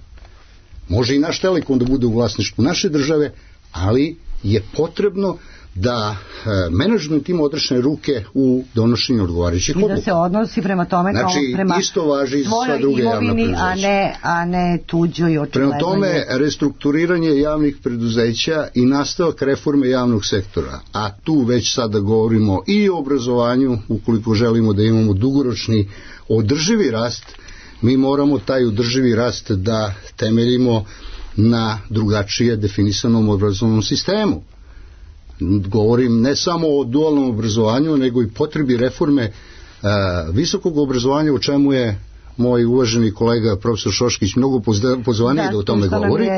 Može i naš Telekom da bude u vlasništvu naše države, ali je potrebno da e, menadžment ima odrešene ruke u donošenju odgovarajućih odluka. I da se odnosi prema tome znači, kao prema isto važi i sva druge javna preduzeća. A ne, a ne tuđoj očigledno. Prema tome, restrukturiranje javnih preduzeća i nastavak reforme javnog sektora, a tu već sada govorimo i o obrazovanju, ukoliko želimo da imamo dugoročni održivi rast, mi moramo taj održivi rast da temeljimo na drugačije definisanom obrazovnom sistemu. Govorim ne samo o dualnom obrazovanju, nego i potrebi reforme e, visokog obrazovanja, o čemu je moj uvaženi kolega profesor Šoškić mnogo pozvaniji da, da o tome govori,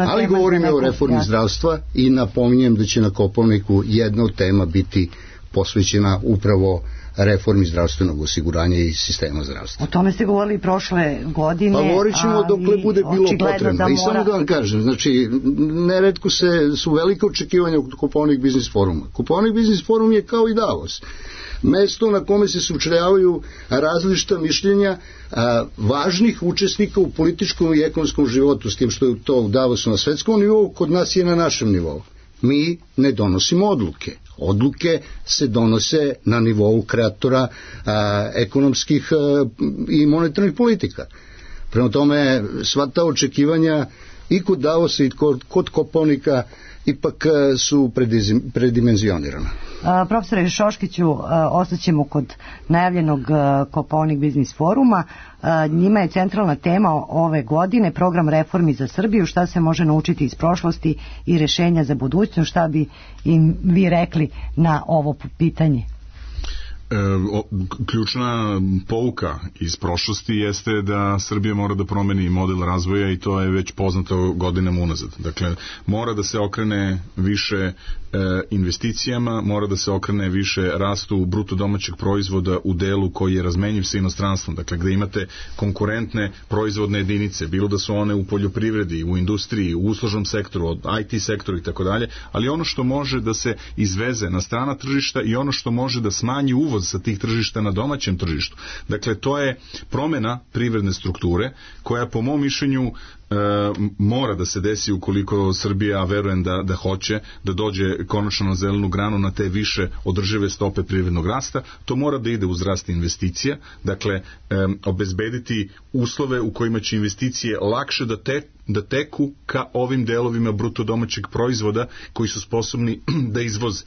ali govorim o reformi ja. zdravstva i napominjem da će na Kopaoniku jedna od tema biti posvećena upravo reformi zdravstvenog osiguranja i sistema zdravstva. O tome ste govorili prošle godine. Pa govorit ćemo dokle bude bilo potrebno. Da mora... I samo da vam kažem, znači, neretko se, su velike očekivanja od Kopaonik biznis foruma. Kopaonik biznis forum je kao i Davos. Mesto na kome se sučeljavaju različita mišljenja a, važnih učesnika u političkom i ekonomskom životu, s tim što je to u Davosu na svetskom nivou, kod nas je na našem nivou. Mi ne donosimo odluke. Odluke se donose na nivou kreatora a, ekonomskih a, i monetarnih politika. Prema tome, sva ta očekivanja i kod Davosa i kod, kod Kopaonika ipak a, su predimenzionirana. A, profesore Šoškiću, a, ostaćemo kod najavljenog a, Kopaonik biznis foruma. A, njima je centralna tema ove godine program reformi za Srbiju, šta se može naučiti iz prošlosti i rešenja za budućnost. Šta bi im vi rekli na ovo pitanje? E, o, ključna pouka iz prošlosti jeste da Srbija mora da promeni model razvoja i to je već poznato godinama unazad. Dakle, mora da se okrene više e, investicijama, mora da se okrene više rastu bruto domaćeg proizvoda u delu koji je razmenjiv sa inostranstvom. Dakle, gde imate konkurentne proizvodne jedinice, bilo da su one u poljoprivredi, u industriji, u uslužnom sektoru, od I T sektoru i tako dalje, ali ono što može da se izveze na strana tržišta i ono što može da smanji uvoz sa tih tržišta na domaćem tržištu. Dakle, to je promena privredne strukture koja po mom mišljenju e, mora da se desi ukoliko Srbija, a verujem da, da hoće, da dođe konačno na zelenu granu na te više održive stope privrednog rasta. To mora da ide uz rast investicija, dakle, e, obezbediti uslove u kojima će investicije lakše da te da teku ka ovim delovima bruto domaćeg proizvoda koji su sposobni da izvoze.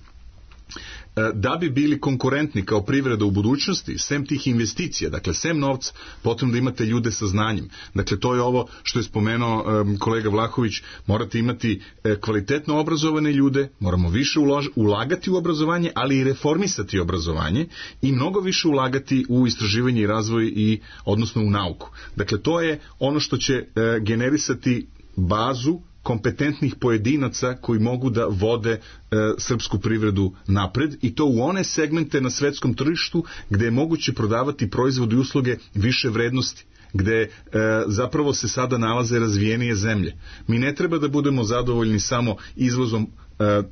Da bi bili konkurentni kao privreda u budućnosti, sem tih investicija, dakle, sem novca, potrebno da imate ljude sa znanjem. Dakle, to je ovo što je spomenuo um, kolega Vlahović, morate imati e, kvalitetno obrazovane ljude, moramo više ulož, ulagati u obrazovanje, ali i reformisati obrazovanje i mnogo više ulagati u istraživanje i razvoj i, odnosno u nauku. Dakle, to je ono što će e, generisati bazu kompetentnih pojedinaca koji mogu da vode e, srpsku privredu napred i to u one segmente na svetskom tržištu gde je moguće prodavati proizvode i usluge više vrednosti, gde e, zapravo se sada nalaze razvijenije zemlje. Mi ne treba da budemo zadovoljni samo izvozom e, e,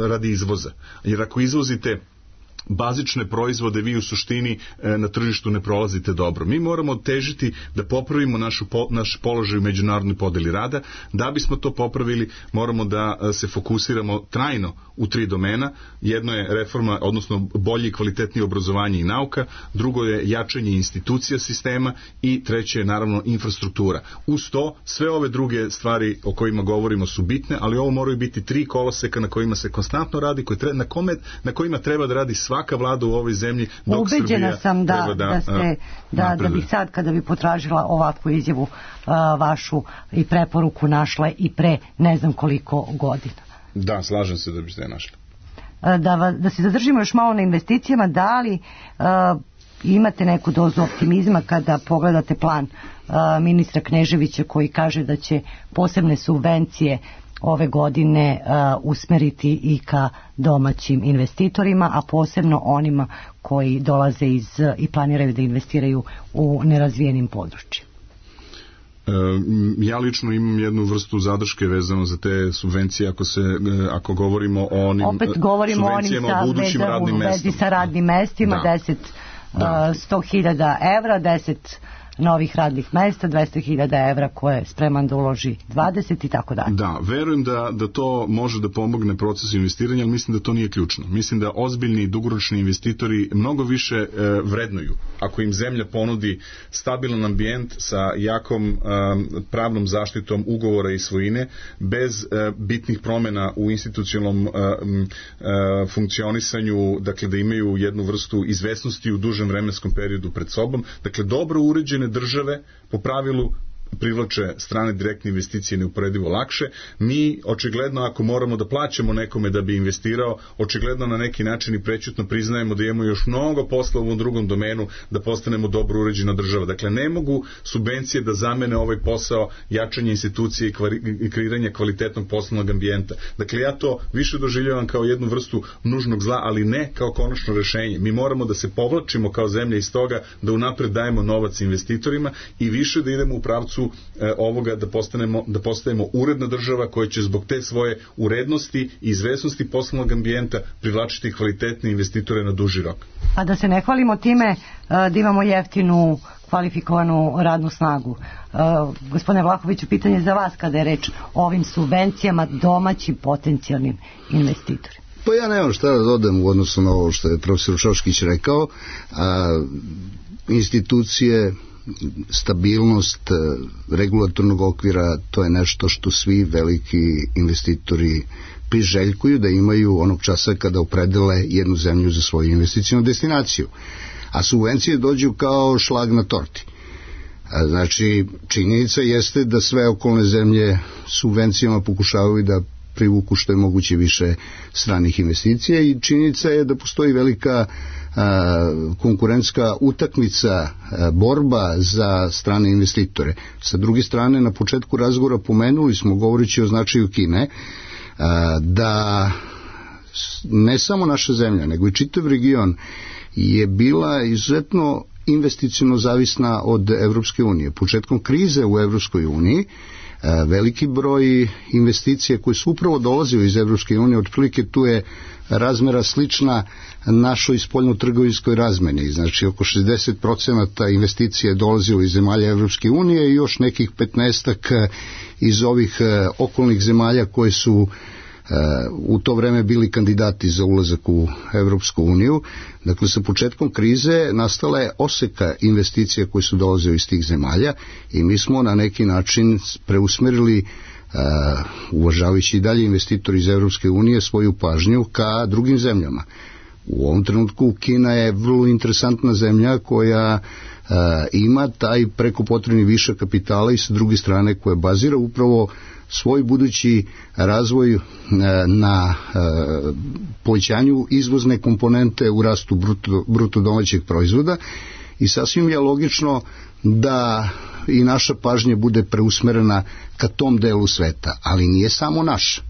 radi izvoza, jer ako izvozite bazične proizvode, vi u suštini e, na tržištu ne prolazite dobro. Mi moramo težiti da popravimo našu, po, naš položaj u međunarodnoj podeli rada. Da bismo to popravili, moramo da a, se fokusiramo trajno u tri domena. Jedno je reforma, odnosno bolje i kvalitetnije obrazovanje i nauka, drugo je jačanje institucija sistema i treće je naravno infrastruktura. Uz to, sve ove druge stvari o kojima govorimo su bitne, ali ovo moraju biti tri koloseka na kojima se konstantno radi, koji treba, na, kome, na kojima treba da radi svaka vlada u ovoj zemlji, dok Ubeđena Srbija sam da, da, da, ste, da, da bih sad kada bi potražila ovakvu izjavu uh, vašu i preporuku našla i pre ne znam koliko godina. Da, slažem se da biste je našli. Uh, da, da se zadržimo još malo na investicijama, da li uh, imate neku dozu optimizma kada pogledate plan uh, ministra Kneževića koji kaže da će posebne subvencije ove godine uh, usmeriti i ka domaćim investitorima, a posebno onima koji dolaze iz i planiraju da investiraju u nerazvijenim područjima? E, ja lično imam jednu vrstu zadrške vezano za te subvencije ako se ako govorimo o onim opet govorimo o onim sa, budućim veza, radnim mestima. Vezi sa radnim mestima, da. deset sto hiljada evra, deset novih radnih mesta, dvesta hiljada evra koje je spreman da uloži dvadeset i tako dalje. Da, verujem da, da to može da pomogne procesu investiranja, ali mislim da to nije ključno. Mislim da ozbiljni i dugoročni investitori mnogo više e, vrednuju. Ako im zemlja ponudi stabilan ambijent sa jakom e, pravnom zaštitom ugovora i svojine, bez e, bitnih promjena u institucionalnom e, e, funkcionisanju, dakle da imaju jednu vrstu izvesnosti u dužem vremenskom periodu pred sobom, dakle dobro uređene države po pravilu privlače strane direktne investicije neuporedivo lakše. Mi očigledno ako moramo da plaćamo nekome da bi investirao, očigledno na neki način i prećutno priznajemo da imamo još mnogo posla u ovom drugom domenu da postanemo dobro uređena država. Dakle, ne mogu subvencije da zamene ovaj posao jačanja institucije i kreiranja kvalitetnog poslovnog ambijenta. Dakle, ja to više doživljavam kao jednu vrstu nužnog zla, ali ne kao konačno rešenje. Mi moramo da se povlačimo kao zemlja iz toga, da unapred dajemo novac investitorima i više da idemo u pravcu ovoga da postanemo, da postajemo uredna država koja će zbog te svoje urednosti i izvesnosti poslovnog ambijenta privlačiti kvalitetne investitore na duži rok. A da se ne hvalimo time da imamo jeftinu kvalifikovanu radnu snagu. Gospodine Vlahoviću, pitanje za vas kada je reč o ovim subvencijama domaćim potencijalnim investitorima. Pa ja nemam šta da dodam u odnosu na ovo što je profesor Šoškić rekao. A, institucije, stabilnost regulatornog okvira, to je nešto što svi veliki investitori priželjkuju da imaju onog časa kada opredele jednu zemlju za svoju investicijnu destinaciju. A subvencije dođu kao šlag na torti. Znači, činjenica jeste da sve okolne zemlje subvencijama pokušavaju da privuku što je moguće više stranih investicija i činjenica je da postoji velika a, konkurentska utakmica, a, borba za strane investitore. Sa druge strane, na početku razgovora pomenuli smo, govoreći o značaju Kine, a, da ne samo naša zemlja, nego i čitav region je bila izuzetno investiciono zavisna od Evropske unije. Početkom krize u Evropskoj uniji veliki broj investicija koje su upravo dolazili iz Evropske unije, otprilike tu je razmera slična našoj spoljnotrgovinskoj razmeni, znači oko šezdeset procenata investicija je dolazilo iz zemalja Evropske unije i još nekih petnaestak iz ovih okolnih zemalja koje su u to vreme bili kandidati za ulazak u Evropsku uniju. Dakle, sa početkom krize nastala je oseka investicija koje su dolazile iz tih zemalja i mi smo na neki način preusmerili, uh, uvažavajući i dalje investitori iz Evropske unije, svoju pažnju ka drugim zemljama. U ovom trenutku Kina je vrlo interesantna zemlja koja uh, ima taj preko potrebni višak kapitala i sa druge strane koja bazira upravo svoj budući razvoj na povećanju izvozne komponente u rastu bruto, bruto domaćeg proizvoda i sasvim je logično da i naša pažnja bude preusmerena ka tom delu sveta, ali nije samo naša.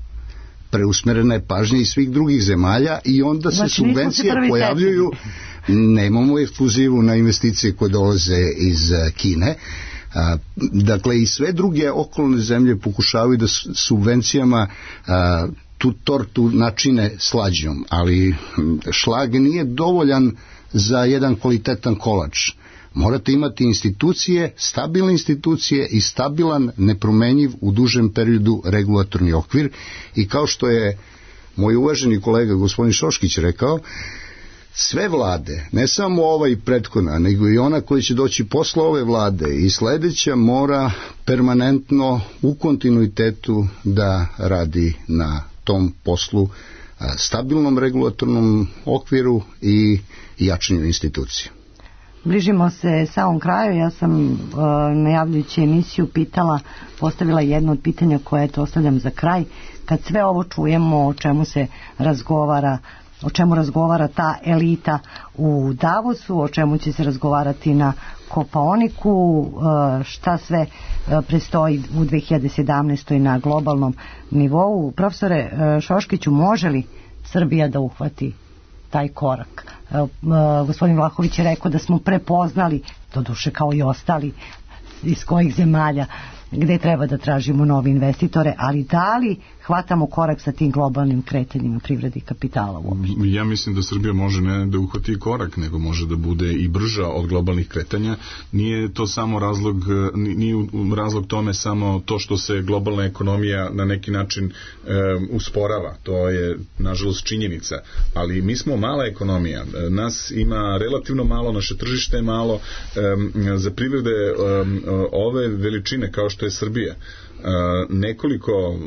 Preusmerena je pažnja i svih drugih zemalja i onda se znači, subvencije pojavljuju. Nemamo ekskluzivu na investicije koje dolaze iz Kine. A, dakle, i sve druge okolne zemlje pokušavaju da subvencijama a, tu tortu načine slađom, ali šlag nije dovoljan za jedan kvalitetan kolač. Morate imati institucije, stabilne institucije i stabilan, nepromenjiv u dužem periodu regulatorni okvir, i kao što je moj uvaženi kolega gospodin Šoškić rekao, sve vlade, ne samo ova i prethodna, nego i ona koja će doći posle ove vlade i sledeća, mora permanentno u kontinuitetu da radi na tom poslu, stabilnom regulatornom okviru i jačanju institucija. Bližimo se samom kraju. Ja sam uh, najavljujući emisiju pitala, postavila jedno od pitanja koje to ostavljam za kraj. Kad sve ovo čujemo, o čemu se razgovara, o čemu razgovara ta elita u Davosu, o čemu će se razgovarati na Kopaoniku, uh, šta sve uh, prestoji u dve hiljade sedamnaestoj na globalnom nivou. Profesore uh, Šoškiću, može li Srbija da uhvati taj korak? Uh, gospodin Vlahović je rekao da smo prepoznali, doduše kao i ostali, iz kojih zemalja gde treba da tražimo nove investitore, ali da li hvatamo korak sa tim globalnim kretanjima privrede i kapitala uopšte? Ja mislim da Srbija može ne da uhvati korak, nego može da bude i brža od globalnih kretanja. Nije to samo razlog, nije razlog tome samo to što se globalna ekonomija na neki način e, usporava. To je, nažalost, činjenica. Ali mi smo mala ekonomija. Nas ima relativno malo, naše tržište je malo. E, za privrede e, ove veličine kao što je Srbija, nekoliko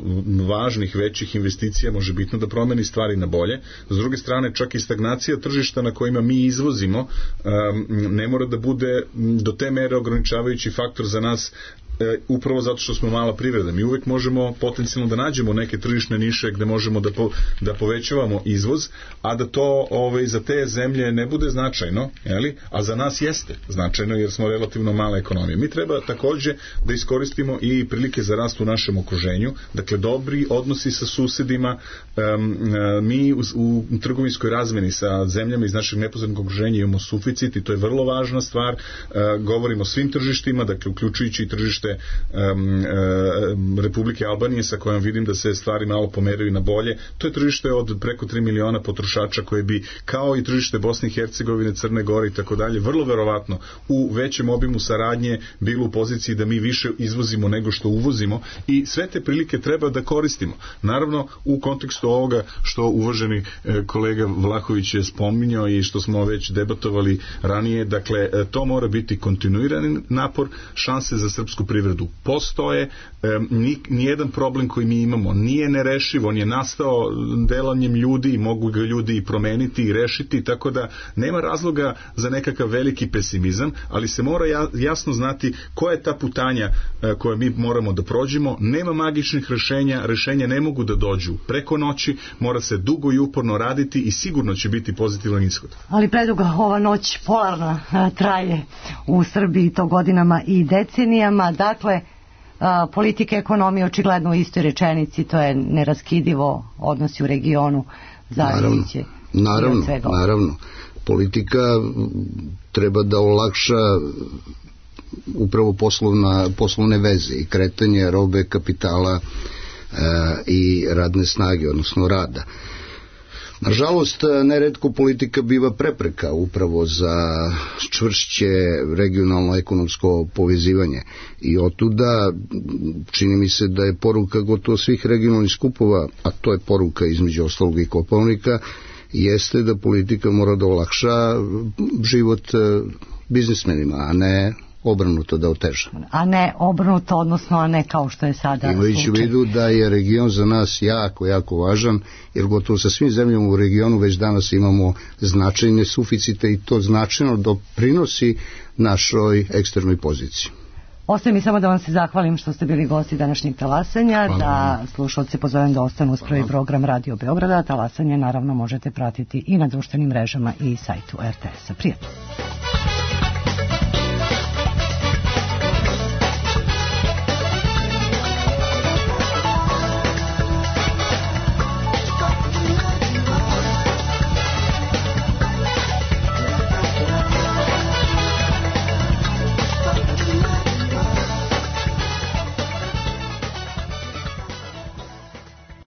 važnih većih investicija može bitno da promeni stvari na bolje. S druge strane, čak i stagnacija tržišta na kojima mi izvozimo ne mora da bude do te mere ograničavajući faktor za nas, upravo zato što smo mala privreda. Mi uvek možemo potencijalno da nađemo neke tržišne niše gde možemo da, po, da povećavamo izvoz, a da to ovaj, za te zemlje ne bude značajno, jeli? A za nas jeste značajno jer smo relativno mala ekonomija. Mi treba takođe da iskoristimo i prilike za rast u našem okruženju, dakle dobri odnosi sa susedima. Um, mi u, u trgovinskoj razmeni sa zemljama iz našeg neposrednog okruženja imamo suficit i to je vrlo važna stvar. Uh, govorimo o svim tržištima, dakle uključujući i tržište Um, um, Republike Albanije, sa kojom vidim da se stvari malo pomeraju na bolje. To je tržište od preko tri miliona potrošača koje bi, kao i tržište Bosne i Hercegovine, Crne Gore i tako dalje, vrlo verovatno u većem obimu saradnje bilo u poziciji da mi više izvozimo nego što uvozimo, i sve te prilike treba da koristimo. Naravno, u kontekstu ovoga što uvaženi e, kolega Vlahović je spominjao i što smo već debatovali ranije, dakle, e, to mora biti kontinuirani napor. Šanse za srpsku privredu postoje, nijedan problem koji mi imamo nije nerešiv, on je nastao delanjem ljudi i mogu ga ljudi i promeniti i rešiti, tako da nema razloga za nekakav veliki pesimizam, ali se mora jasno znati koja je ta putanja koje mi moramo da prođemo. Nema magičnih rešenja, rešenja ne mogu da dođu preko noći, mora se dugo i uporno raditi i sigurno će biti pozitivan ishod. Ali preduga ova noć polarna traje u Srbiji to godinama i decenijama. Dakle, politika i ekonomija očigledno u istoj rečenici, to je neraskidivo, odnosi u regionu zajednice. Naravno, naravno, naravno. Politika treba da olakša upravo poslovna, poslovne veze i kretanje robe, kapitala e, i radne snage, odnosno rada. Nažalost, neretko politika biva prepreka upravo za čvršće regionalno ekonomsko povezivanje i otuda čini mi se da je poruka gotovo svih regionalnih skupova, a to je poruka između ostalog i Kopaonika, jeste da politika mora da olakša život biznismenima, a ne obrnuto da oteža. A ne obrnuto, odnosno a ne kao što je sada imajući u vidu da je region za nas jako, jako važan, jer gotovo sa svim zemljama u regionu već danas imamo značajne suficite i to značajno doprinosi našoj eksternoj poziciji. Ostaje mi samo da vam se zahvalim što ste bili gosti današnjeg talasanja, hvala. Da slušalce pozovem da ostanu uz prvi program Radio Beograda. Talasanje naravno možete pratiti i na društvenim mrežama i sajtu er te es-a. Prijatno.